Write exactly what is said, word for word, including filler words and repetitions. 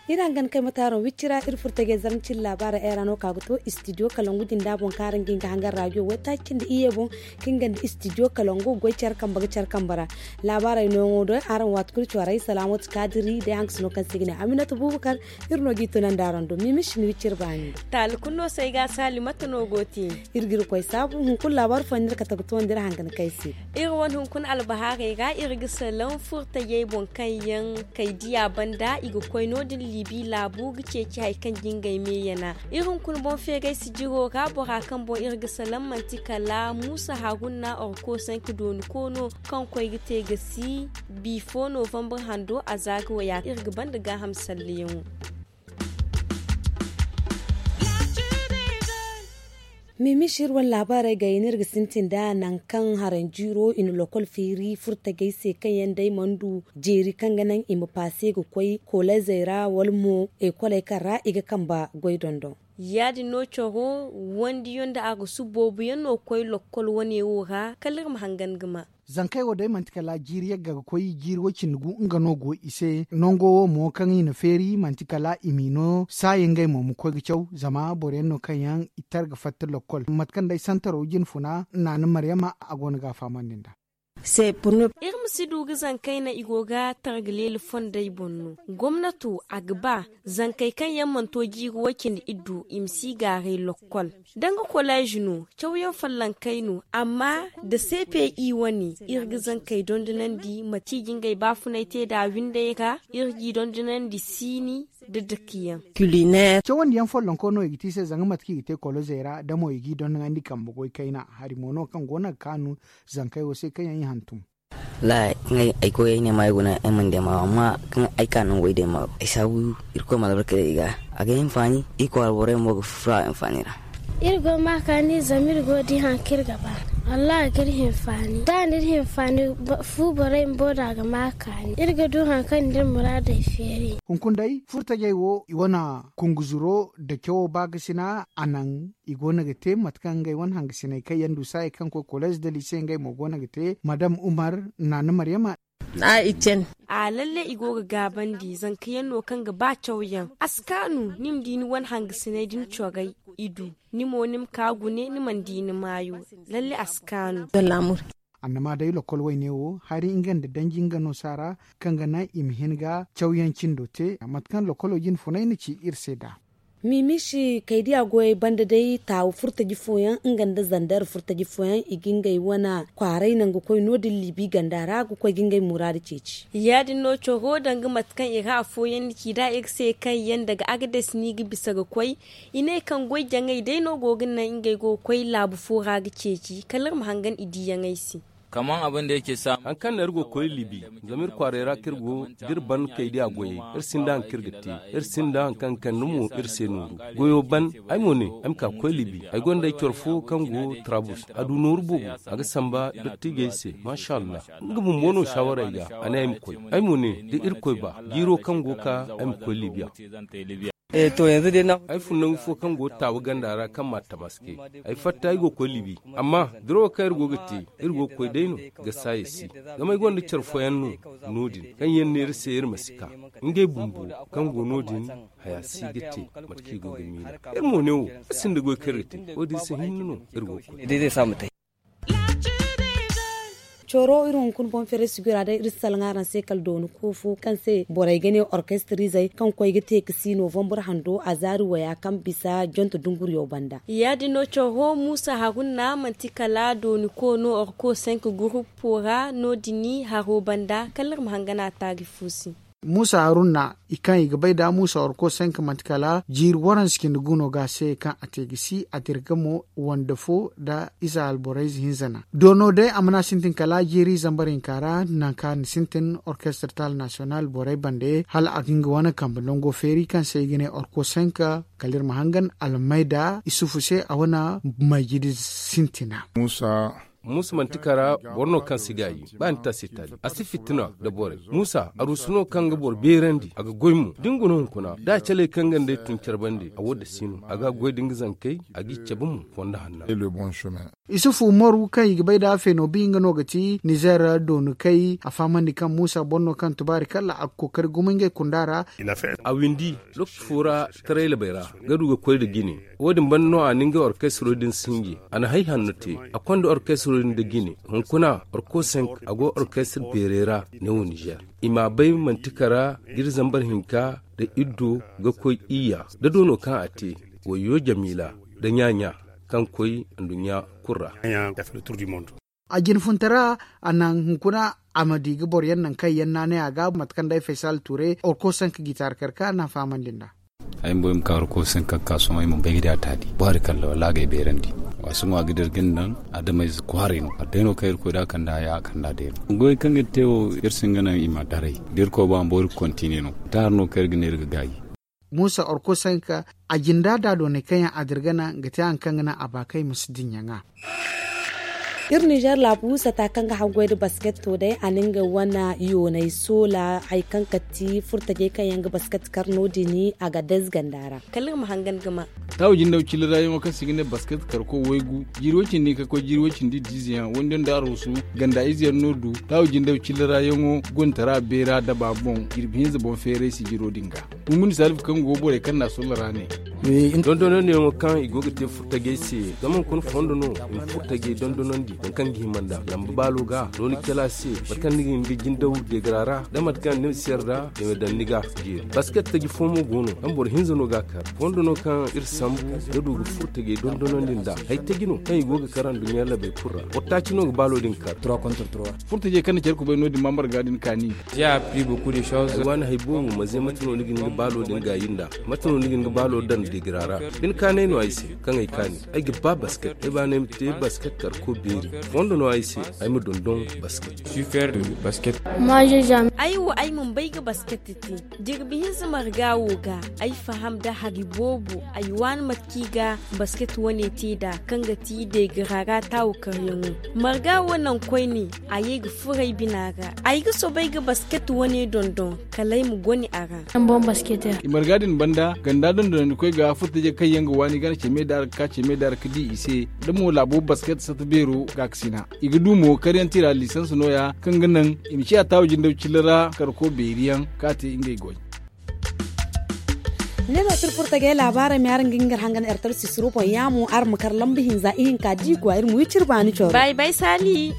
Iri hangan kay mataaro wicci ra iri furtajey zarma cine laabaara ay ra no ka ga to istidiyo kalangu jinda boŋ kaŋ araŋ ga hin ga hangan raajo waytaaci cindi iyye boŋ, kaŋ ga nda istidiyo kalangu goy care kambe ga care kambe ra. Laabaarey nooyaŋo do araŋ waati kulu cooray salaamatu kaadiri day haŋ ga si no kaŋ se ga ne aminatu buubakar. Iri no g'i tunandi araŋ do mimishi ni wicci iri baani. Taali kulu no se ay ga a saali mate no go te? Iri ga iri koy saabu hunkuna laabaari fooyaŋ no iri kate ga toonandi iri hangan kay se. Iri wane hunkuna albahaarey ra iri ga salaŋ furtajey boŋ kaŋ yaŋ kay diya banda i ga koy no- din liibi laabu ga ceeci hari kaŋ ga ngey me yana. Iri hunkuna boŋ feeray sijiro ra bora kaŋ boŋ iri ga salaŋ manti kala muusa haruna orko sanki dooni koono kaŋ koy ga te ga si bi fo novambar hando a za ga waya iri ga banda gaaham salleyaŋo. Mimishi iri wane laabaarey gayey no iri ga sintin nd'a nangu kaŋ haranjiiro i na lokol feeri furtajey se kaŋ yaŋ day mana du jeeri kaŋ ga naŋ i ma paase ga koy koleezey ra wala mo ekoley kaŋ ra i ga kambe goy dondon. Ya- din no coro wandiyo nda a ga su boobo yaŋ no ga koy lokol wane wo ra kala iri ma hangan ga ma. Zankey wo day manti kala jiiri yagga ga koy jiiri way- cindi gu nga no go i se nango wo mo kaŋ i na feeri manti kala i m'i no saayi ngey mo ma koy ga caw zama boro yaŋ no kaŋ yaŋ i tar ga fatta lokkol mate kaŋ day santaro jine funa naana maryama a go no ga a fahamandi nd'a. Iri ma si du ga zankey naŋ i go ga tar ga leela fondey boŋ no. Gomnato a ga ba zankey kaŋ yaŋ mana to jiiri way- cindi iddu i ma si gaaray lokkol. Danga koleezi no cawyaŋ follonkey no amma nda cpi wane iri ga zankey dondonandi mate i ga ngey baafunay te nd'a windey ra iri g'i dondonandi siini nda dakiyaŋ. Cawandiyaŋ follonko no i ga te i se zanga mate kaŋ i ga te kolozey ra da mo i g'i dondonandi kambe goy kayna hari mo no kaŋ go no ga kaanu zankey wo se kaŋ yaŋ i hantum. Wallaahi kaŋ ay koy ay ne maayo guna ay mana day maayo amma kaŋ ay ka nangu ay day maayo ay saabu irkoy ma albarka day i ga a ga ay hinfaani. Iri kwaara borey mo ga furo a hinfaani ra. Iri go ma kaani zama iri go ga di hari kaŋ iri ga ba. Wallaahi a ga iri hinfaani da a na iri hinfaani fu borey bumbo no a ga ma kaani iri ga du hari kaŋ na iri muraadey feeri. Hunkuna day furtajey wo i wane kunguzuro nda cawo baakasina a naŋ i go no ga te mate kaŋ ngey wane hangasiney kaŋ yaŋ du saayey kaŋ koy koleez nda liise ngey mo go no ga te madam umar naana maryama. A lalle i go ga gaabandi zanka yaŋ no kaŋ ga ba cawyaŋ a si kaanu ni ma di ni wane hangasiney din corey i du ni mo ni ma ka gune ni mana di ni maayo. Lalle a si kaanu. Annama day lokkol wayne wo hari nga nda danji nga no saara kaŋ ga naŋ i ma hin ga cawyaŋ cindo te mate kaŋ lokkolo jine funay na ci iri se nd'a. Mimishi kaydiya goyey banda day taawu furtaji fooyaŋ nga nda zandar furtaji fooyaŋ i ga ngey wane kwaaray naŋ ga koy no- din liibi ganda ra ga koy ga ngey muraadu ceeci. Ya- din no coro danga mate kaŋ i ra afooyaŋ na ci nd'a iri se kaŋ yaŋ daga agades no i ga bisa ga koy. I ne kaŋ goy jaŋay day no go ga naŋ ngey go ga koy laabu fo ra ga ceeci kala iri ma hangan i diiyaŋey se. Hari kaŋ no iri go ga koy libi zama iri kwaaray ra kaŋ iri go da iri ban kaydiya goyey iri sinda hari kaŋ iri ga te. Iri sinda hari kaŋ ga kande mo iri se nooru goyo ban. Ay mo ne ay ma ka ga koy libi ay gonda ay coro fo kaŋ go tarabus a du nooru boobo a ga samba dottiijey se. Maasa allah nga bumbo no saawara ay ga a ne ay ma koy. Ay mo ne da irkoy ba jiiro kaŋ go ga ka ay ma koy libiya. Ay fun nangu fo kaŋ go taawa ganda ra kaŋ ma tamaske. Ay fatta ay go ga koy libi amma dirawo kaŋ iri go ga te iri go ga koy day no. Ga saaya si zama ay gonda care fooyaŋ no no- din kaŋ yaŋ ne iri se iri ma si ka ngey bumbo kaŋ go no- din haya si ga te. Mate kaŋ i go ga miila iri mo ne wo iri sinda goy kaŋ iri ga te wo- din se hinne no iri go ga koy. Coro iri hunkuna boŋ feeray sijira day iri si salaŋ araŋ se kala dooni koofo kaŋ se borey ga ne orkestirizey kaŋ koy ga te ga si novambar hando a zaari waya kaŋ bisa jonto dunguriyo banda. Ya- din no coro muusa haruna manti kala dooni koono orko senk guruppo ra no- din haro banda kala iri ma hangan a taari fo se. Muusa haruna i kaŋ i ga bay da muusa orko senk manti kala jiiri waranse cindi guno ga se kaŋ a te ga si a dirga mo wande fo nda ize alborey ize hinza naŋ doono day a mana sintin kala jiiri zambar hinka ra nangu kaŋ a na sintin orkestre taal nasiyonal borey bande hala a ga nga wane kambe nango feeri kaŋ se i ga ne orko senk. Kala iri ma hangan almayda isufu se a wane mayjidi sintina. Muusa Muusa manti kara boro no kaŋ si gaayi. Ba ni ta se taali a si fitina nda borey. Muusa aruusu no kaŋ ga boro beerandi a ga goy mo da ni guna hunkuna da a caley kaŋ ga nd'ey tun care bande a wo da si no a ga a goy da nga zankey. A g'i cabe mo fondo hanna. Isufu umaru kaŋ i ga bay nd'a feenobi nga no ga ti nizeer doonukey a fahamandi kaŋ muusa boro no kaŋ tubaari kala a ga kookari gumo ngey kunda ra. A windi lokaci fo ra tarayla bay ra ga du ga koy nda jine. Wo- din banda no a na ngey orkestro din sinji a na hari hanno te. A konda orkestro din nda jine hunkuna orkosenk a go orkestre beerey ra. Neewo nizeer i m'a bay manti kara ga iri zambar hinka nda iddo ga koy iyya da doono kaŋ a te. Wayo jamiila nda ɲa-ɲa kaŋ koy nduɲɲa kulu ra. A jinfuntara a naŋ hunkuna a ma di ga boro yaŋ naŋ kaŋ yaŋ naanay a ga mate kaŋ day faysal tuure orkosenk gitaar karka naŋ fahamandi nd'a. Ay ma bay ma ka orkosenk kaŋ ka sohõ ay ma bay ga di a taali boro hari kalla wala a ga ay beerandi. Waasu mo a ga dira ga ni naŋ adamayze kwaarey no a day no kaŋ irkoy da a kande haya a kande a day no goy kaŋ ga ni te wo. Iri si hin ga naŋ i ma daray da irkoy ba ma boori ga kontine no. Taahar no kaŋ iri ga ne iri ga gaayi. Muusa orkosenk a jinda da doonay kaŋ yaŋ a dira ga naŋ ga te hari kaŋ ga naŋ a ba kaŋ i ma si dinya ŋwa. Iri nizeer laabu sata kaŋ ga haggoy nda basket to day a na nga wane yoonay soola hari kaŋ kati furtajey kaŋ yaŋ ga basket kar no- din a ga dayze ganda ra. Kala iri ma hangan ga ma. Taawu jindaw cilla ra yaŋo kaŋ se i ga ne basket karko waygu jiiri way cindi ka koy jiiri way cindi diize yaŋ waydiyaŋ nda aroosu ganda ize yaŋ no du. Taawu jindaw cilla ra yaŋo gontara beera daba boŋ jirbi hinza boŋ feeray sijiro din ga. Humbuni salifu kaŋ go borey kaŋ na a solla ra ne. Dondonandiyaŋo kaŋ i go ga te furtajey se zama hunkuna fondo no i ma furtajey dondonandi nangu kaŋ ga hima nd'a lamba baalo ga no ni cala se mate kaŋ ni ga hin ga jindaw deegara ra da mate kaŋ ni ma si yarda i ma daŋ ni ga. Jeeri basket taji fo mo go no kaŋ boro hinza no ga a kar fondo no kaŋ iri sambu ga du ga furtajey dondonandi nd'a hari taji no kaŋ i go ga kar anduɲɲa labey kulu ra boro taaci no ga baalo din kar. Furtajey kaŋ na care kubay no- din ma marga din kaani. Ay waani hari boobo ma ze mate no ni ga hin ga baalo din gaayi nd'a? Mate no ni ga hin ga baalo daŋ deegira ra? Bine kaanay no ay se kaŋ ay kaani. Ay ga ba basket ay baana ay ma te basket karko beeri. Fondo no ay se ay ma dondon basket. Ay wo ay mana bay ga basket te. Jirbi hinza marga wo ga ay faham nda hari boobo ay waani mate kaŋ i ga basket wane te nd'a kaŋ ga ti deegira ra taawo karyaŋo. Marga wo naŋ koyne a ye ga furo ay bina ra. Ay ga soobay ga basket wane dondon kala ay ma gone a ra. I marga din banda ganda dondonandikoy ga furtajey kaŋ yaŋ ga waani gana ceme da ra ga ka ceme da ra ga di i se da mo laabo basket sata beero gaakasina. I ga du mo karyaŋ tira lisans nooya kaŋ ga naŋ i ma ciya taawo jindaw cilla ra karko beeriyaŋ kaŋ a te ngey goy. Ne no tirfurtajey laabaarey ma araŋ ga nga hangan ertel sisiro boŋ yaamo araŋ ma kar lamba hinza ihinka diikwa iri ma wi ciri baani coro. Bay bay saali.